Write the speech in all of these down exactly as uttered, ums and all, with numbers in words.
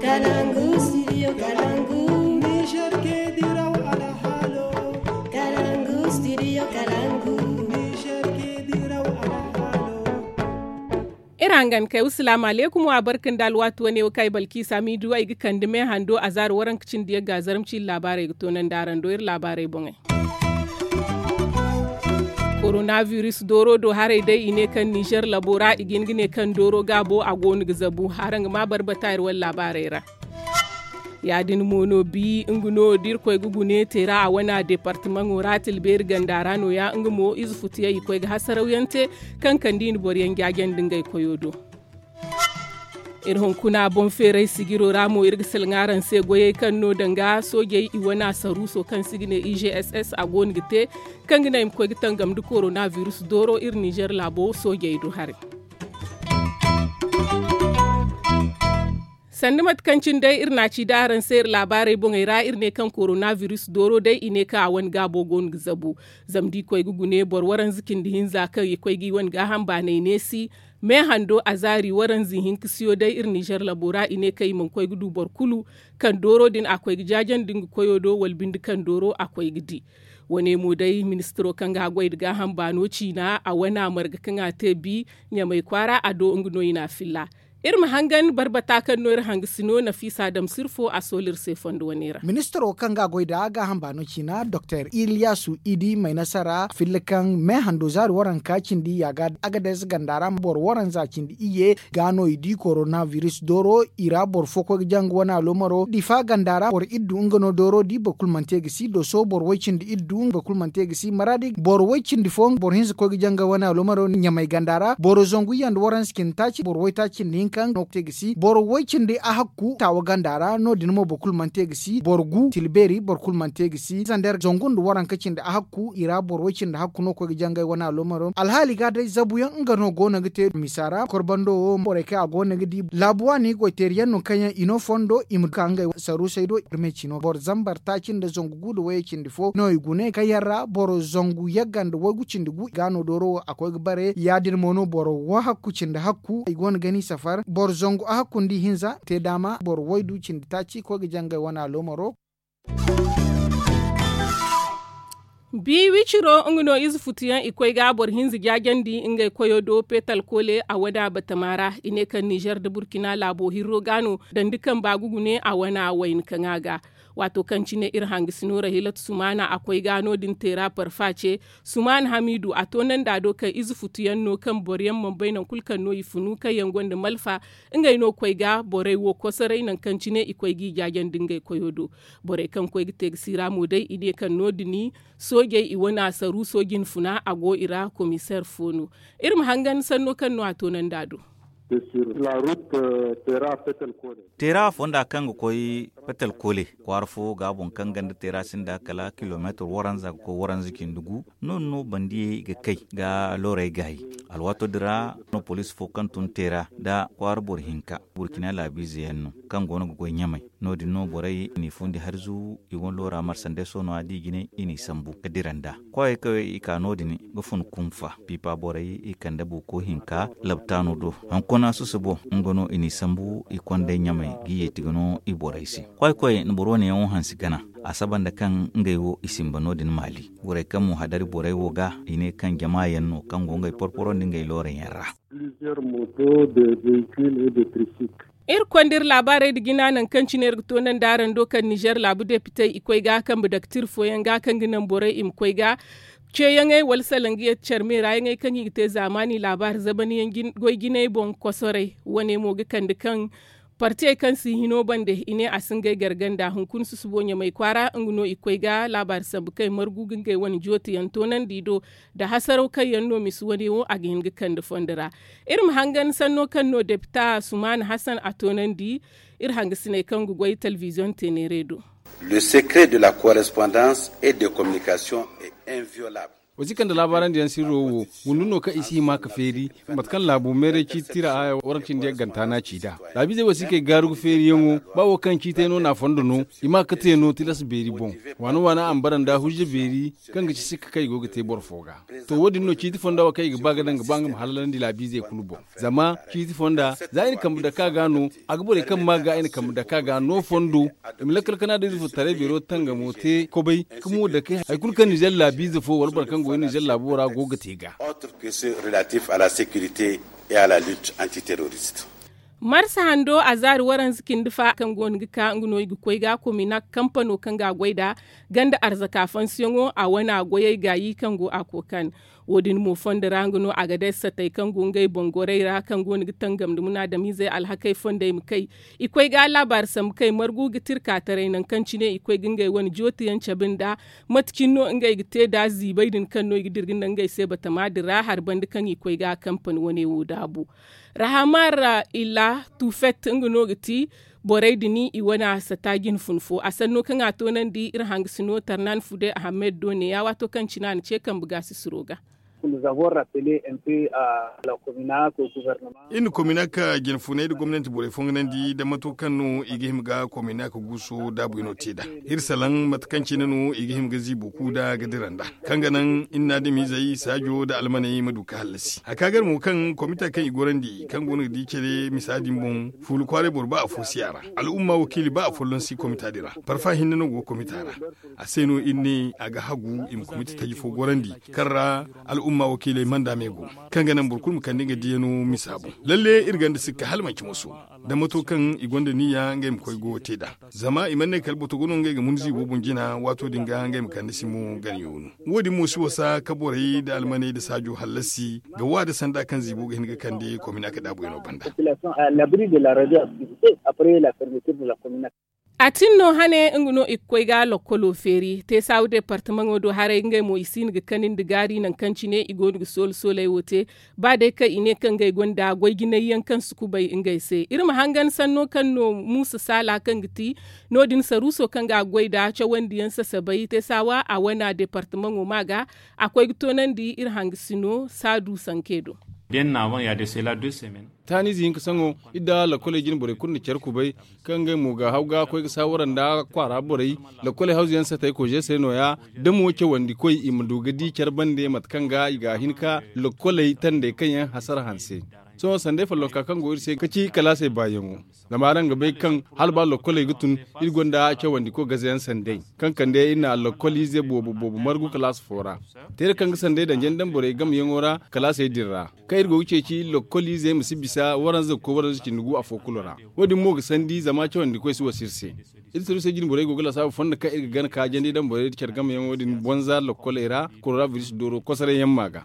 Kalangu studio kalangu. Niger ke diraw alhalo. Kalangu studio kalangu. Niger ke diraw alhalo. Iri hangan kay wasalaamu aleykum wa barka nda alwaati wane wo kaŋ ay balkiisa miidu ay ga kande me hando a zaari waranka cindi yagga zaramci iri laabaarey ga toonandi araŋ do iri laabaarey boŋey. Koronabiris dooro do haray day i ne kaŋ nizer labo ra i ga hin ga ne kaŋ dooro gaabo a go no ga zabu haraŋ ga ma barbata iri wane laabaarey ra. Ya- din mo no bi nga no da irkoy ga gune teera a wana deepartamaŋo ra tilbeeri ganda ra no- ya nga mo ize futuyaŋ i koy ga hasarawyaŋ te kaŋ kande i na boroyaŋ jaajandi ngey koyo do. Iri hunkuna boŋ feeray sijiro ra mo iri ga salaŋ araŋ se goyey kaŋ no danga soojey i wana saruuso kaŋ se i ga ne i g s s a go no ga te kaŋ ga naŋ i ma koy ga tangam nda koronabiris dooro iri nizer laabo soojey do haray. Sanda mate kaŋ cine day iri na a ci da araŋ se iri laabaarey boŋey ra iri ne kaŋ koronabiris dooro day i ne kaŋ a wane gaabo go no ga zabu. Zama da i koy ga gune boro waranza cindi hinza kaŋ i koy ga i wane gaaham baanay neesi. Me hando a zaari waranza ihinka siyo day iri nizer labo ra i ne kaŋ i mana koy ga du boro kulu kaŋ dooro din a koy ga jaajandi nga koyo do wala binde kaŋ dooro a koy ga di. Wane mo day ministiro kaŋ ga haggoy nda gaaham baano ciina a wana marga kaŋ a te bi ɲamay kwaara a do nga no i na a filla. Iri ma hangan barbata kaŋ no iri hangasi no nafiisa dam sirfo a sooli iri se fondo wane ra. Ministiro kaŋ ga a goy nda gaaham baano ciina doktor iliyasu idi maynasara filla kaŋ me hando zaari waranka cindi yaaga agades ganda ra boro waranza cindi iyye ga no i di koronabiris dooro i ra boro fo koy ga janga wane aloomaro difa ganda ra boro iddu nga no dooro di boro kulu mana te ga si doso boro way cindi iddu boro kulu mana te ga si maraadi boro way cindi fo boro hinza koy ga janga wane aloomaro ɲamay ganda ra boro zangu iyye nda waranza cindi taaci boro way taaci cindi hinka no te ga si boro way cindi ahakku taawa ganda ra no- din mo boro kulu mana te ga si boro gu tilbeeri boro kulu mana te ga si zander zangu nda waranka cindi ahakku i ra boro way cindi hakku no koy ga jangay wane aloomaro alhaali ga day zabuyaŋ nga no go no ga te misa ra korbando wo borey kaŋ a go no ga di laabu waani goyteeri yaŋ no kaŋ yaŋ i no fondo i ma ka ngey saruusey do iri me ci no boro zambar taaci nda zangu gu nda wayey cindi fo no i gune kaŋ yaŋ ra boro zangu yagga nda waygu cindi gu ga no dooro wo a koy ga bare ya- din mo no boro wahakku cindi hakku i go no ga ni safar boro zangu ahakku nda ihinza te daama boro waydu cindi taaci koy ga jangay wane aloomaro. Bi wiciro nga no ize futuyaŋ i koy ga boro hinza jaajandi ngey koyo do petal koole a wada batama ra i ne kaŋ nizer nda burkina laabo hirro ga no dandi kaŋ ba ga gune a wana wayna kaŋ a ga. Waato kaŋ cine iri hangasi no rahilatu sumaana a koy ga no- din teera parfa ce sumaana hamiidu a toonandi a do kaŋ ize futuyaŋ no kaŋ boroyaŋ mana bay nangu kulu kaŋ no i funu kaŋ yaŋ gonda malfa ngey no koy ga borey wo kosoray nangu kaŋ cine i koy g'i jaajandi ngey koyo do. Borey kaŋ koy ga te ga siira mo day i ne kaŋ no- din soojey i wane a saru sooji hinfuna a go i ra komiseer fo no. Iri ma hangan sanno kaŋ no a toonandi a do. Teera fonda kaŋ ga koy petel koole kwaara fo ga boŋ kaŋ ganda teera sinda kala kilomeetir waranza ga koy waranza cindi gu no- din no bandiyey ga kay ga loorey gaayi. Alwaato din ra no poliisi fo kaŋ tun teera nda kwaara boro hinka burkina laabiize yaŋ no kaŋ go no ga goy ɲamay. No- din no borey i n'i fundi harzu i wane loora marsandeeso no- ya da i jine i n'i sambu ga dira nd'a. Kwaayey kaŋ i ka no- din ga fun kunfa piipa borey i kande buuko hinka labtaano do. Hunkuna susubo nga no i n'i sambu i kondey ɲamey ga i yeeti ga no i borey se. Kwaay koy na boro wane yaŋo hansi gana a saba nda kaŋ ngey wo i simba no- din maali borey kaŋ mo hadari borey wo ga i ne kaŋ jama yaŋ no kaŋ go ngey porporo nda ngey loora yaŋ ra. Iri konda iri laabaarey nda jina nangu kaŋ cine iri ga toonandi araŋ do kaŋ nizer laabu depitey i koy ga kambe daktir fooyaŋ ga kaŋ ga naŋ borey i ma koy ga ceeyaŋey wala salangiyaŋ care meera yaŋey kaŋ i ga te zaamaani laabaari zamani yaŋ goy jinay boŋ kosoray wane mo ga kande kaŋ partiyey kaŋ si hino bande i ne a si ngey garganda hunkuna susubo ɲamay kwaara nga no i koy ga laabaari sambu kaŋ i margu ga ngey wane jootiyaŋ toonandi do nda hasaraw kaŋ yaŋ no misi wane wo a ga hin ga kande fondo ra. Iri ma hangan sanno kaŋ no depita sumaana hasan a toonandi iri hangasiney kaŋ ga goy telebiziyoŋ teeneerey do. Le secret de la correspondance et de communication est inviolable. Wa si kande laabaarandi yaŋ sirro wo, gundu no kaŋ i si hima ka feeri, mate kaŋ laabu meeray ciiti tira haya waranka cindi yaŋ ganta no a ci nd'a. Laabiizey wo si kay gaaru ga feeriyaŋo, ba wo kaŋ ciitay no no a fondo no, i ma ka te no tilas beeri boŋ. Waana waana a ma bara nda hujja beeri, kaŋ ga ci sikka kaŋ i go ga te boro fo ga. To wo- din no ciiti fonda wo kaŋ i ga ba ga daŋ ga ba nga ma halalandi laabiizey kulu boŋ. Zama ciiti fonda za i na kambe dake a ga no, a ga borey kaŋ maa ga i na kambe dake a ga no fondo. I ma lakkal kana da ize fo taray beero tangamo te kobay, ka mo dake hari kulu kaŋ nizer laabiize fo wala boro kaŋ go nizer laabo ra go ga te ga. Autre que ce relatif à la sécurité et à la lutte antiterroriste. Marsa hando a zaari waranza cindi fa kaŋ go no ga ka nga no i ga koy ga komina kampano kaŋ ga a goy nd'a, ganda arzaka fansiyaŋo a wane a goyey gaayi kaŋ go a kookan. Wo- din mo fondo ra nga no a ga day satey kaŋ go ngey boŋ gorey ra kaŋ go no ga tangam nda munaadamiizey alhakey fondey ma kay. I koy ga laabaari sambu kay margu ga tirka taray nangu kaŋ cine i koy ga ngey wane jootiyaŋ cabe nd'a. Mate cine no ngey ga te nd'a ziibay din kaŋ no i ga dira ga naŋ ngey se batama din ra hari banda kaŋ i koy ga kampani wane wo daabu. Rahamar illa tufet nga no ga ti borey din i wane a sata jine fun fo a sanno kaŋ a toonandi iri hangasino tarnan fude ahamed do neeya waato kaŋ cine a na ce kambe gaasisiro ga. Iri na kominak jine funay nda gomnanti borey fonganandi nda mato kaŋ no i ga hima ga kominak guuso daabuyaŋo te nd'a. Iri salaŋ mate kaŋ cine no i ga hima ga ziibo ku nd'a ga dira nd'a, kaŋ ga naŋ iri na adamizey saajo nda almaney ma du ga hallasi hari ka gar mo kaŋ komita kaŋ i gorandi kaŋ go no ga di care misa din boŋ. Fuula kwaaray boro ba afo si a ra. Al'umma wakiili ba afolloŋ si komita din ra. Parfa hinne no go komita ra. A se no iri ne a ga hagu i ma komita taji fo gorandi, kaŋ ra al'umma wakiiley manda me go, kaŋ ga naŋ boro kulu ma kande nga diyaŋo misa boŋ. Lalle iri gonda sikka hala manci moso, da mato kaŋ i gonda niyya ngey ma koy goyo te nd'a. Zama i mana ne kala botogo no ngey ga mun ziibo boŋ jina waato din ga ngey ma kande si mo gana yoonu. Wo- din mo si wasa ka borey nda almaney nda saajo hallasi ga wa nda sanda kaŋ ziibo ga hin ga kande kominak daabuyaŋo banda. A tin no hane nga no i ga koy ga lokkolo feeri te saawu departamaŋo do haray ngey mo i siino ga kanandi gaari nangu kaŋ cine i go no ga soolo sooley wo te. Ba day kaŋ i ne kaŋ ngey gonda goy jinay yaŋ kaŋ si kubay ngey se iri ma hangan sanno kaŋ no muusa saala kaŋ ga ti no- din saruuso kaŋ ga a goy nd'a cawandiyaŋ sasabay te saawa a wana departamaŋo ma ga a koy ga toonandi iri hangasino saadu sanke do. Taaniize hinka saŋo iri nda lakkoley jine borey kulu na care kubay, kaŋ ngey mo ga haw ga koy ga saawara nda kwaara borey. Lakkoley hawzu yaŋ satey koze se no- ya da mo cawandi koy i ma du ga di care bande mate kaŋ ga i ga a hin ka lakkoley tandey kaŋ yaŋ hasara hanse. Sohõ sanday follonka kaŋ go iri se ga ci kalaasey baayaŋo. Zama araŋ ga bay kaŋ hala ba lakkoley ga tun, iri gonda cawandi koy gazayaŋ sanday, kaŋ kande iri na lakkoliize boobo boobo margu kalaas fo ra. Teera kaŋ ga sanday daŋ jandam borey gamyaŋo ra kalaasey din ra, kaŋ iri go ga ceeci lakkoliizey ma si bisa waranza ga koy waranza cindi gu afo kulu ra. Wo- din mo ga sandi zama cawandi koy si wasa iri se. Iri saruusey jine borey go ga lasaabu fondo kaŋ iri ga gana ka jandi daŋ borey care gamyaŋo din bonza lakkoley ra koronabiris dooro kosoray yaŋ ma ga.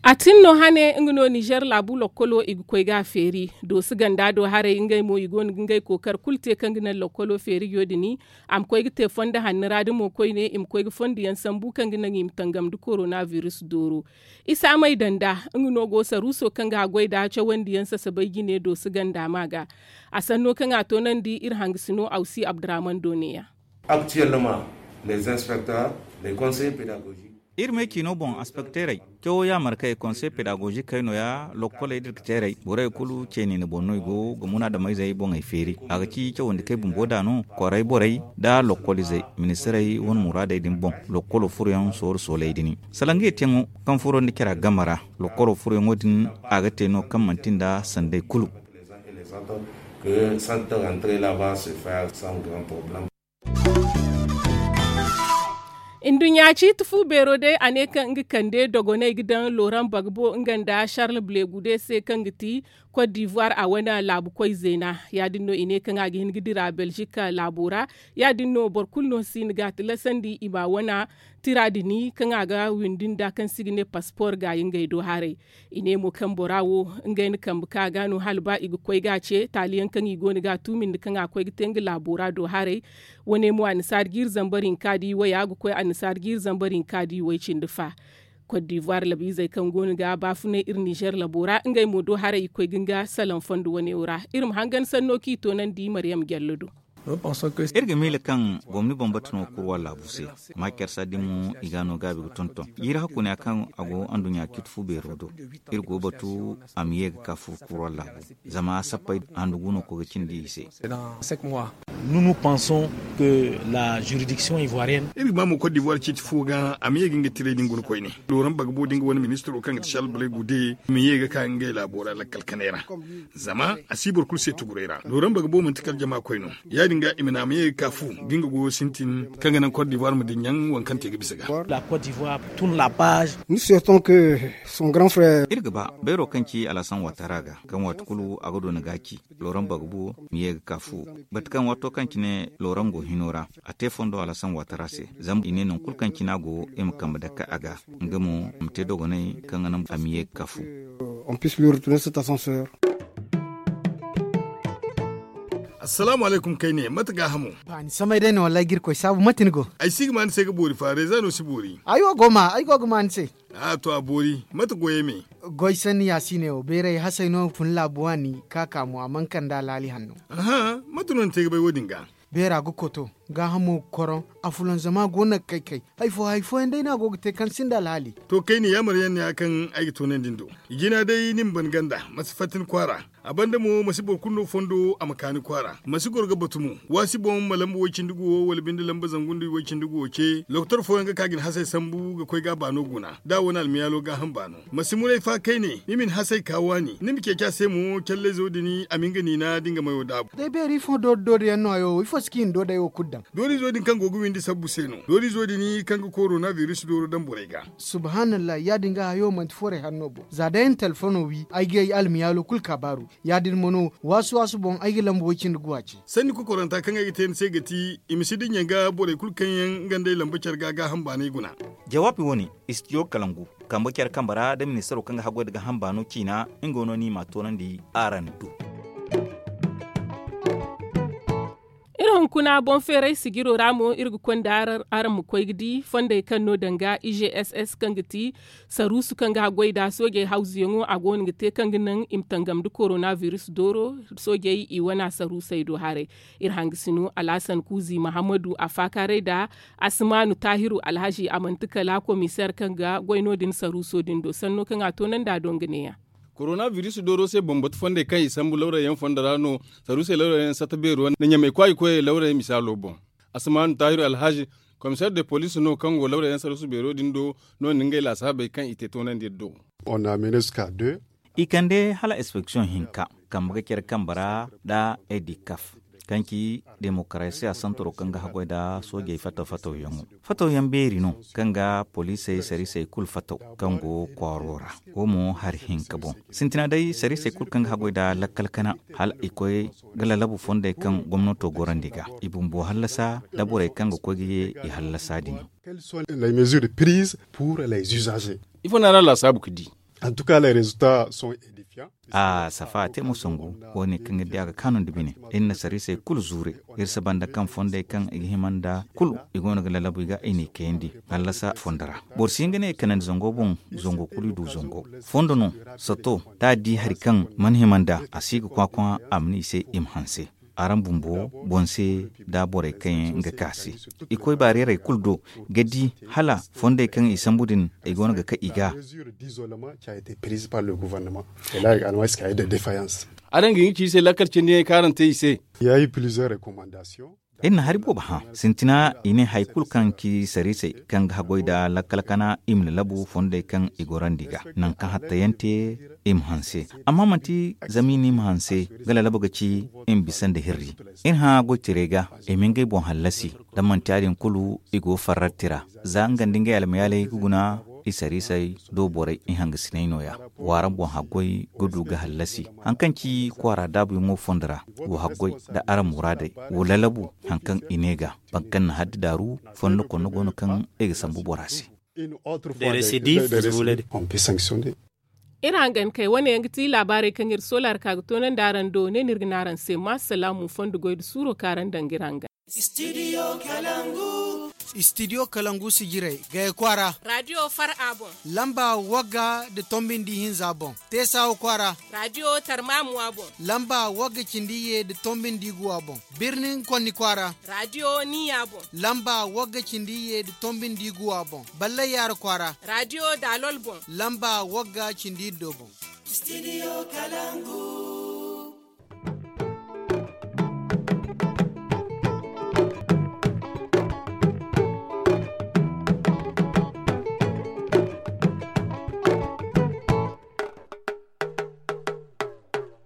A tin no hane nga no nizer laabu lokkolo i ga koy ga a feeri. Doosi ganda do haray ngey mo i go no ga ngey kookar kulu te kaŋ ga naŋ lokkolo feeri yo- din. A ma koy ga te fondo hanno ra da mo koyne i ma koy ga fondo yaŋ sambu kaŋ ga naŋ i ma tangam nda koronabiris dooro. Isa may danda nga no go saruuso kaŋ ga a goy nd'a cawandiyaŋ sasabay jine doosi ganda ma ga. A sanno kaŋ a toonandi iri hangasino awsi abdurahman do neeya. Actuellement, les inspecteurs, les conseillers pédagogiques. Iri me ciino boŋ inspekteerey cawo yaamarkey konsey pedagogikey no- ya lokkoley da iri ga teerey borey kulu ceeni ni boŋ no i go ga munaadamayzey boŋey feeri. A ga ci cawandikey bumbo da no, kwaarey borey nda lokkolizey ministirey wane muraadey din boŋ. Lokkolo furoyaŋ sooru sooley din sala ngey teeyaŋo kaŋ furo nda cara game ra. Lokkolo furoyaŋo din a ga te no kaŋ manti nda sanday kulu. Nduɲɲa ciiti fu beero day a ne kaŋ nga kande dogoney ga daŋ loran bagbo nga nda charles blegude se kaŋ ga ti kot divoir a wane laabu koy zeena. Ya- din no i ne kaŋ a ga hin ga dira belgique laabo ra. Ya- din no boro kulu no si hin ga a tilasandi i ma a wane tira din kaŋ a ga windi nda kaŋ se i ga ne paspor gaayi ngey do haray. I ne mo kaŋ bora wo ngey na kambe ka ga no hala ba i ga koy ga a ce taali yaŋ kaŋ i go no ga a tuumi nda kaŋ a koy ga te nga laabo ra do haray. Wane mo annasaari jiiri zambar hinka da i way a ga koy annasaari jiiri zambar hinka da i way cindi fa. Kot divoir labiizey kaŋ go no ga baafunay iri nizer labo ra ngey mo do haray i koy ga nga salaŋ fondo wane wo ra. Iri ma hangan sanno kaŋ i toonandi maryam jallo do. Iri ga miila kaŋ gomni bambata no kurwa laabu se. Maakiyar saadi mo i ga no gaabi ga tonton jiiri hakku ne a kaŋ a go anduɲɲa ciiti fu beero do. Iri go batu a ma ye ga ka fur kurwa laabu. Zama sappey handu gu no koy ga cindi i se. Nous nous pensons que la juridiction ivoirienne. Iri ga ba mo kot divoire ciiti fo ga a ma ye ga nga tiray din guna koyne. Looran bagbo din ga wane ministiro kaŋ ga ti shalbalay gude ma ye ga ka ngey laabo ra lakkal kanay ra. Zama a si boro kulu se tuguray ra looran bagbo manti kala jama koy no. Ya- din ga i ma ne a ma ye ga ka fu ga nga goyo sintin kaŋ ga naŋ kot divoire ma dinya waŋ kaŋ te ga bisa ga. Iri ga ba bayro kaŋ ci alasan watara ga kaŋ waati kulu a ga doona ga ci. Looran bagbo ma ye ga ka fu bate kaŋ waato kaŋ cine looran go hino ra a te fondo alasan watara se. Zama i ne nangu kulu kaŋ cine a go i ma kambe dake a ga. Nga mo a ma te dogonay kaŋ ga naŋ a ma ye ga ka fu. Assalaamu alaykum kayne mate gaahamo? Ni samay day no wallaahi ga irkoy saabu mate ni go? Ay si ga ma ni se ga boori fa reeza no si boori. Ay wo go ma ay go ga ma ni se. A to a boori mate goyey me? Goy sanni ya si ne wo beeray hasey no fun laabu waani ka ka mo a mana kande alhaali hanno. Mate no ni te ga bay wo- din ga? Beera ga koto gaahamo ga koroŋ. Afulanzama go no ga kay kay. Hari fo hari fooyaŋ day no a go ga te kaŋ sinda alhaali. To kayne yaamar yaŋ ne ya kaŋ ay ga toonandi ni do. Jina day ni ma ban ganda ma si fatta ni kwaara. A banda mo ma si boro kulu no fondo a ma ka ni kwaara ma si goro ga batu mo. Waasi boŋ ma lamba way- cindi guwo wala binde lamba zangu nda way- cindi guwo ce lokotor fooyaŋ ga ka ga ni hasey sambu ga koy ga a baano guna da a wane almiyaalo gaaham baano. Ma si muray fa kayne ni ma ni hasey ka waani ni ma ceeci a se mo callayzo din a ma nga niina da nga mayo daabu. Day beeri ifo doori doori yaŋ no hayo ifo si ka i na doodey wo kulu daŋ? Doorizo din kaŋ go ga windi sabbu se no doorizo din kaŋ ga korona biris dooro daŋ borey ga. Subhaanallahi ya- din ga hayo manti forey hanno boŋ za day ay na telefono wi ay ga ay almiyaalo kulu kaabaaru. Ya- din mo no waasu waasu boŋ ay ga lamba way- cindi guwa ce. Sanni kokoranta kaŋ ay ga te ni se ga ti i ma si dinya ga borey kulu kaŋ yaŋ nga nd'ey lamba care ga gaaham baanay guna. Jawaabi wo- ne, istijo kalangu kambe care kambe ra nda ministaro kaŋ ga haggoy nda gaaham baano ciina. Nga no no i m'a toonandi araŋ do. Iri hunkuna boŋ feeray sijiro ra mo iri ga konda araŋ ma koy ga di fondey kaŋ no danga i g s s kaŋ ga ti saruusu kaŋ ga haggoy nda soojey hawzuyaŋo a go no ga te kaŋ ga naŋ i ma tangam nda korona biris dooro. Soojey i wana saruusey do haray. Iri hangasino alhasan kuuzi mahammadu a faakaaray nda asimaanu taahiru alhazi a manti kala komiseer kaŋ ga goy no- din saruuso din do sanno kaŋ a toonandi a do nga neeya. Korona biris dooro se bambatu fondey kaŋ i sambu lawrayyaŋ fondo ra no. Saruusey lawrayyaŋ satta beero nda ɲamay kwaayi koyey lawrayyaŋ misaalo boŋ. Asimaanu taahiru alhazi komiseer de poliis no kaŋ go lawrayyaŋ saruusu beero din do no- din ngey laasaabey kaŋ i te toonandi iri do. I kande hala inspeksiyoŋ hinka kambe ga care kambe ra nda edikaf kaŋ ci demokarasiya santaro kaŋ ga haggoy nda soojey fataw fatawyaŋo. Fatawyaŋ beeri no kaŋ ga poliisey sariisey kulu fataw kaŋ go kwaaro ra. Wo mo hari hinka boŋ sintina day sariisey kulu kaŋ ga haggoy nda lakkal kana hala i koy ga lalabu fondey kaŋ gomnato gorandi ga i bumbo hallasa nda borey kaŋ ga koy ga ye i hallasa din. Ifo no a ra laasaabu ga di? A safa a te mo sangu. Wo- ne kaŋ iri di a ga kaanu nda bine iri na sariisey kulu zuure. Iri si banda kaŋ fondey kaŋ i ga hima nda kulu i go no ga lalabu i ga i n'i kayandi hallasa fondo ra. Boro si hin ga ne i kanandi zango boŋ. Zango kulu i du zango fondo no. Sato da a di hari kaŋ mana hima nd'a a si ga kwaakwa a ma ne i se i ma hanse. Araŋ bumbo boŋ se nda borey kaŋ yaŋ ga ka se i koy baareerey kulu do ga di hala fondey kaŋ i sambu din i go no ga ka i ga. Araŋ ga hin ga ci i se lakkal cindi yaŋ kaŋ araŋ te i se. Iri na hari boobo hã sintina i ne hari kulu kaŋ ci sariisey kaŋ ga haggoy nda lakkal kana i ma lalabu fondey kaŋ i gorandi ga nangu kaŋ hattayaŋ te i ma hanse. Amma manti zama i ne i ma hanse ga lalabu ga ci i ma bisa nda hirri. Iri hã goytirey ga i ma ngey boŋ hallasi da manti ya- din kulu i go farratti ra za nga nda ngey almayaaley ga guna. I sariisey do borey i hangasiney no- ya. W'araŋ boŋ haggoy ga du ga hallasi haŋ kaŋ ci kwaara daabuyaŋo fondo ra. Wo haggoy nda araŋ muraadey wo lalabu haŋ kaŋ i ne ga boro kaŋ na haddi daaru fondo konno go no kaŋ i ga sambu bora se. Iri hangan kay wane yaŋ ga ti laabaarey kaŋ iri soola ra ka ga toonandi araŋ do ne no iri ga ne araŋ se ma salaamu fondo goy nda suuro kaŋ araŋ daŋ ga iri hangan. Studio kalangu. Istidiyo kalangu sijirey gaya kwaara. Raadiyo far'a boŋ. Lamba wagga nda tombi nda ihinza boŋ. Teesawa kwaara. Raadiyo tarmamuwa boŋ. Lamba wagga cindi iyye nda tombi nda iguwa boŋ. Birnin konni kwaara. Raadiyo niya boŋ. Lamba wagga cindi iyye nda tombi nda iguwa boŋ. Ballay yaara kwaara. Raadiyo daalol boŋ. Lamba wagga cindi iddo boŋ. Istidiyo kalangu.